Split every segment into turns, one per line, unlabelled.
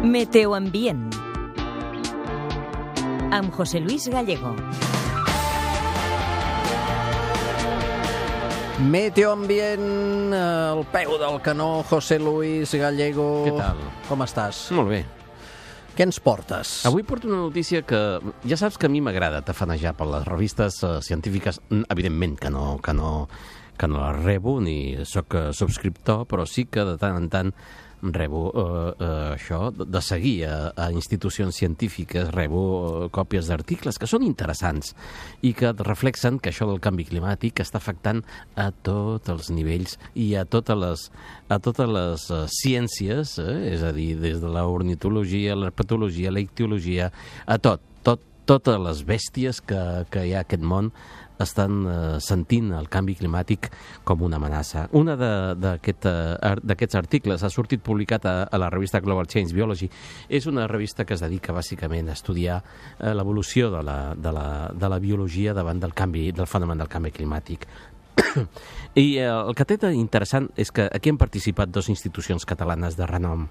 Meteoambient amb José Luis Gallego.
Meteoambient, al peu del canó, José Luis Gallego.
Què tal?
Com estàs?
Molt bé.
Què ens portes?
Avui porto una notícia que ja saps que a mi m'agrada tafanejar per les revistes científiques. Evidentment que no les rebo ni sóc subscriptor, però sí que de tant en tant rebo això, de seguir a institucions científiques, rebo còpies d'articles que són interessants i que reflexen que això del canvi climàtic està afectant a tots els nivells i a totes les ciències, és a dir, des de l'ornitologia, l'herpetologia, la ictiologia, a totes les bèsties que hi ha a aquest món estan sentint el canvi climàtic com una amenaça. Un d'aquests articles ha sortit publicat a la revista Global Change Biology. És una revista que es dedica bàsicament a estudiar l'evolució de la biologia davant del fenomen del canvi climàtic. I el que té d'interessant és que aquí han participat dues institucions catalanes de renom.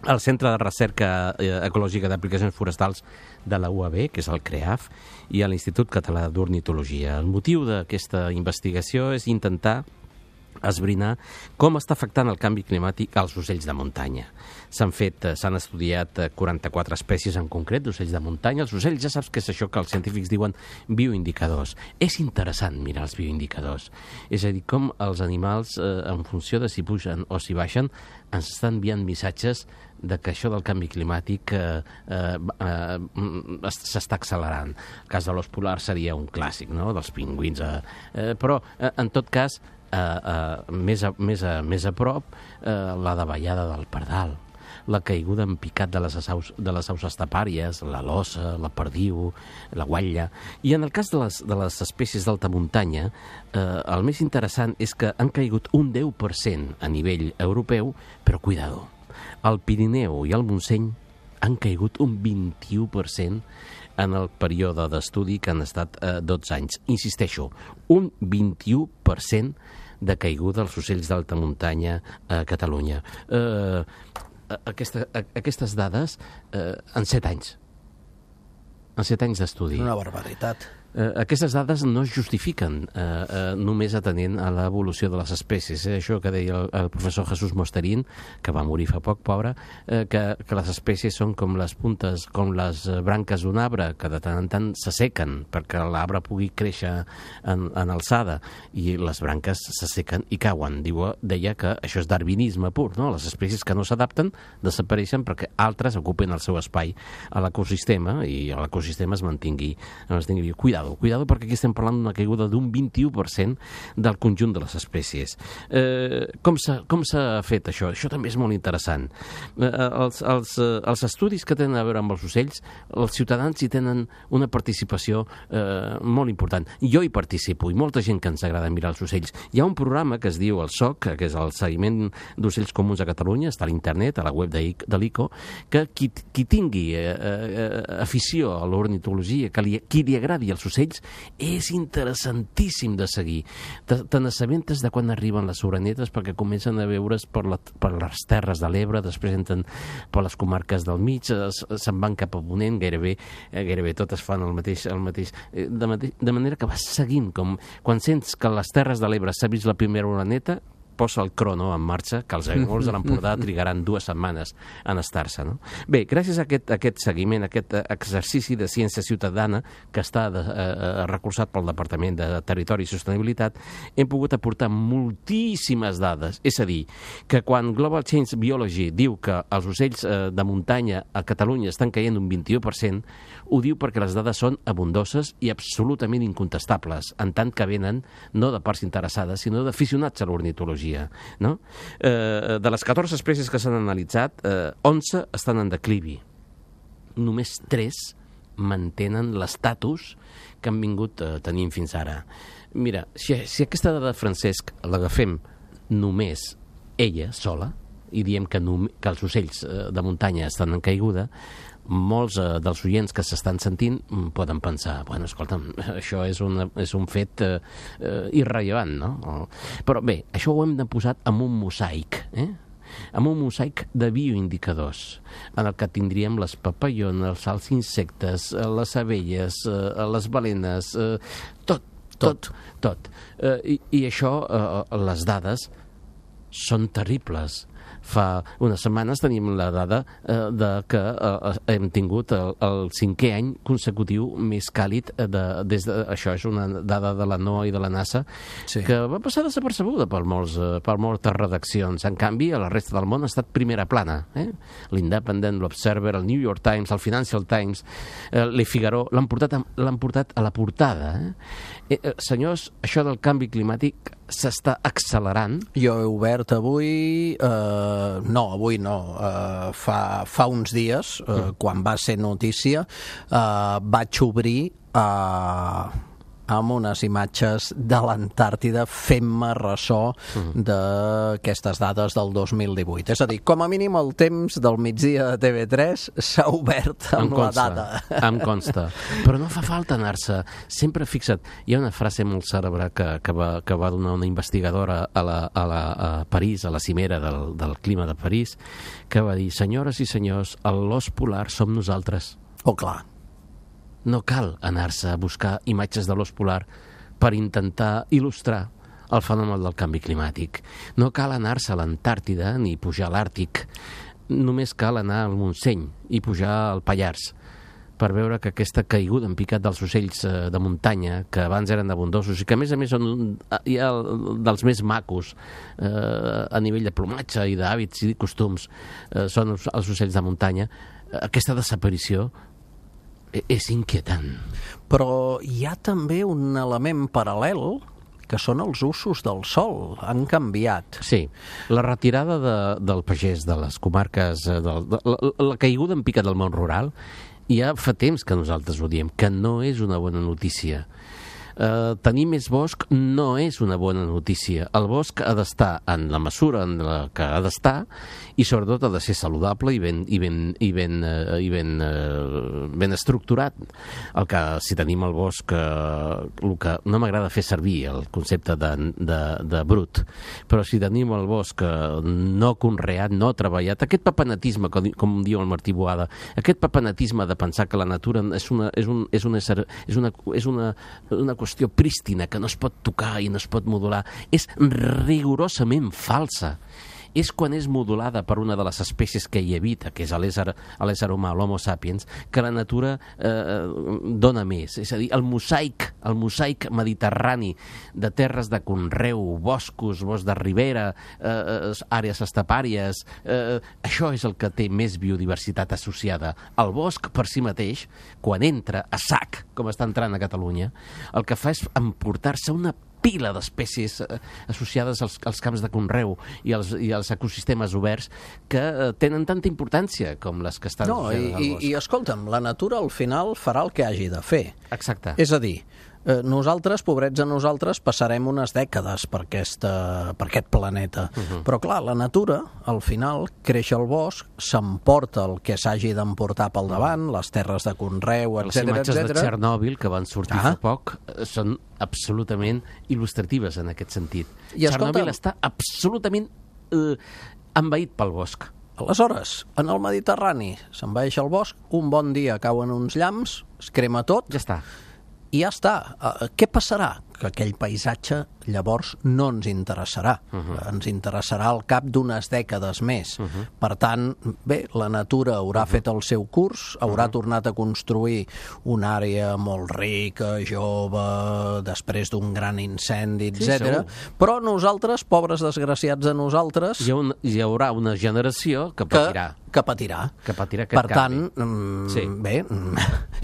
El Centre de Recerca Ecològica d'Aplicacions Forestals de la UAB, que és el CREAF, i l'Institut Català d'Ornitologia. El motiu d'aquesta investigació és intentar esbrinar com està afectant el canvi climàtic als ocells de muntanya. S'han estudiat 44 espècies en concret d'ocells de muntanya. Els ocells ja saps que és això que els científics diuen bioindicadors. És interessant mirar els bioindicadors. És a dir, com els animals, en funció de si pugen o si baixen, ens estan enviant missatges de que això del canvi climàtic s'està accelerant. El cas de l'os polar seria un clàssic, no?, dels pingüins. Però, en tot cas, més a prop, la davallada del pardal, la caiguda en picat de les aus estepàries, la lossa, la perdiu, la guatlla. I en el cas de les espècies d'alta muntanya, el més interessant és que han caigut un 10% a nivell europeu, però cuidado, el Pirineu i el Montseny han caigut un 21% en el període d'estudi que han estat 12 anys. Insisteixo, un 21% de caiguda dels ocells d'alta muntanya a Catalunya. Aquestes dades en 7 anys. En 7 anys d'estudi.
Una barbaritat.
Aquestes dades no es justifiquen només atenent a l'evolució de les espècies. Això que deia el professor Jesús Mosterín, que va morir fa poc, pobre, que les espècies són com les puntes, com les branques d'un arbre, que de tant en tant s'assequen perquè l'arbre pugui créixer en alçada, i les branques s'assequen i cauen. Deia que això és darwinisme pur, no? Les espècies que no s'adapten desapareixen perquè altres ocupen el seu espai a l'ecosistema i l'ecosistema es mantingui viu. Cuidado, perquè aquí estem parlant d'una caiguda d'un 21% del conjunt de les espècies. Com s'ha fet això? Això també és molt interessant. Els estudis que tenen a veure amb els ocells, els ciutadans hi tenen una participació molt important. Jo hi participo, i molta gent que ens agrada mirar els ocells. Hi ha un programa que es diu el SOC, que és el Seguiment d'Ocells Comuns a Catalunya, està a l'internet, a la web de l'ICO, que qui tingui afició a l'ornitologia, qui li agradi els ocells, és interessantíssim de seguir. Te n'assabentes de quan arriben les orenetes perquè comencen a veure's per les terres de l'Ebre, després entren per les comarques del mig, se'n van cap a ponent, gairebé totes fan el mateix, de manera que vas seguint, com quan sents que a les terres de l'Ebre s'ha vist la primera oreneta, posa el crono en marxa, que els aiguamolls de l'Empordà trigaran 2 setmanes en estar-se, no? Bé, gràcies a aquest seguiment, a aquest exercici de ciència ciutadana que està recolzat pel Departament de Territori i Sostenibilitat, hem pogut aportar moltíssimes dades. És a dir, que quan Global Change Biology diu que els ocells de muntanya a Catalunya estan caient un 21%, ho diu perquè les dades són abundoses i absolutament incontestables, en tant que venen no de parts interessades, sinó d'aficionats a l'ornitologia, no? De les 14 espècies que s'han analitzat, 11 estan en declivi. Només 3 mantenen l'estatus que han vingut tenint fins ara. Mira, si aquesta dada, Francesc, l'agafem només ella sola, i diem que els ocells de muntanya estan en caiguda, molts dels oients que s'estan sentint poden pensar, bueno, escolta'm, això és un fet irrellevant, no? Però bé, això ho hem de posar amb un mosaic, amb un mosaic de bioindicadors, en el que tindríem les papallones, els insectes, les abelles, les balenes, tot. I això, les dades són terribles. Fa unes setmanes tenim la dada de que hem tingut el 5è any consecutiu més càlid això és una dada de la NOAA i de la NASA, sí, que va passar desapercebuda per moltes redaccions. En canvi, a la resta del món ha estat primera plana. L'Independent, l'Observer, el New York Times, el Financial Times, Le Figaro, l'han portat a la portada. Senyors, això del canvi climàtic s'està accelerant.
Jo he obert avui... avui no. Fa uns dies, quan va ser notícia, vaig obrir amb unes imatges de l'Antàrtida fent-me ressò d'aquestes dades del 2018. És a dir, com a mínim el temps del migdia de TV3 s'ha obert amb la data.
Em consta. Però no fa falta anar-se. Sempre, fixa't, hi ha una frase molt cèlebre que va donar una investigadora a París, a la cimera del clima de París, que va dir: senyores i senyors, l'os polar som nosaltres.
Oh, clar.
No cal anar-se a buscar imatges de l'os polar per intentar il·lustrar el fenomen del canvi climàtic. No cal anar-se a l'Antàrtida ni pujar a l'Àrtic. Només cal anar al Montseny i pujar al Pallars per veure que aquesta caiguda en picat dels ocells de muntanya, que abans eren abundosos i que a més són dels més macos a nivell de plomatge i d'hàbits i de costums, són els ocells de muntanya, aquesta desaparició és inquietant.
Però hi ha també un element paral·lel, que són els usos del sol. Han canviat.
Sí, la retirada del pagès de les comarques, la caiguda en picat del món rural, ja fa temps que nosaltres ho diem, que no és una bona notícia. Tenir més bosc no és una bona notícia. El bosc ha d'estar en la mesura en la que ha d'estar i sobretot ha de ser saludable i ben estructurat. Si tenim el bosc, el que no m'agrada fer servir el concepte de brut, però si tenim el bosc no conreat, no treballat, aquest papenatisme, com diu el Martí Boada, aquest papenatisme de pensar que la natura és una qüestió prístina, que no es pot tocar i no es pot modular, és rigorosament falsa. És quan és modulada per una de les espècies que hi habita, que és l'ésser humà, l'Homo sapiens, que la natura dona més. És a dir, el mosaic mediterrani de terres de conreu, boscos, bosc de ribera, àrees estepàries, això és el que té més biodiversitat associada. El bosc per si mateix, quan entra a sac, com està entrant a Catalunya, el que fa és emportar-se una pila d'espècies associades als camps de conreu i als ecosistemes oberts que tenen tanta importància com les que estan associades al bosc.
I escolta'm, la natura al final farà el que hagi de fer.
Exacte.
És a dir, nosaltres, pobrets a nosaltres, passarem unes dècades per aquest planeta. Però clar, la natura, al final, creix el bosc, s'emporta el que s'hagi d'emportar pel davant, les terres de conreu, etc.
Les imatges de Txernòbil que van sortir fa poc són absolutament il·lustratives en aquest sentit. Txernòbil està absolutament envaït pel bosc.
Aleshores, en el Mediterrani s'envaeix el bosc, un bon dia cauen uns llamps, es crema tot...
Ja està.
I ja està. Què passarà? Que aquell paisatge llavors no ens interessarà. Ens interessarà al cap d'unes dècades més. Per tant, bé, la natura haurà fet el seu curs, haurà tornat a construir una àrea molt rica, jove, després d'un gran incendi, etc. Però nosaltres, pobres desgraciats de nosaltres...
Hi haurà una generació que patirà.
Que patirà.
Per
tant, bé,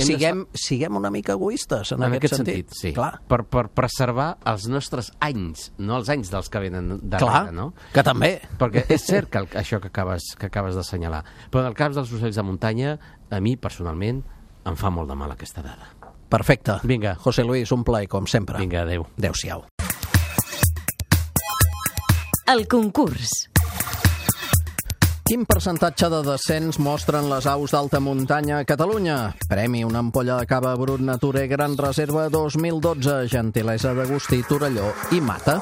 siguem una mica egoistes en aquest sentit.
Sí.
Clar.
Per preservar els nostres anys, no els anys dels que venen darrere, no?
Que també.
Perquè és cert que això que acabes d'assenyalar. Però en el cas dels ocells de muntanya, a mi, personalment, em fa molt de mal aquesta dada.
Perfecte.
Vinga.
José Luis, un plaer, com sempre.
Vinga, adéu.
Adéu-siau.
El concurs.
Quin percentatge de descens mostren les aus d'alta muntanya a Catalunya? Premi una ampolla de cava Brut Nature Gran Reserva 2012, gentilesa d'Agustí Torelló i Mata.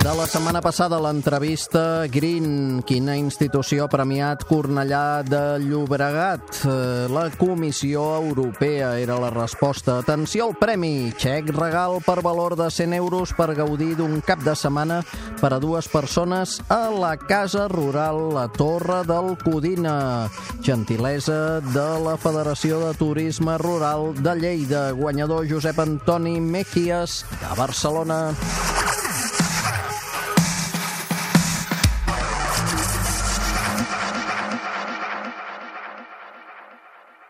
De la setmana passada, l'entrevista Green, quina institució ha premiat Cornellà de Llobregat? La Comissió Europea era la resposta. Atenció al premi, xec regal per valor de 100 euros per gaudir d'un cap de setmana per a 2 persones a la Casa Rural La Torre del Codina. Gentilesa de la Federació de Turisme Rural de Lleida. Guanyador Josep Antoni Mejías, de Barcelona.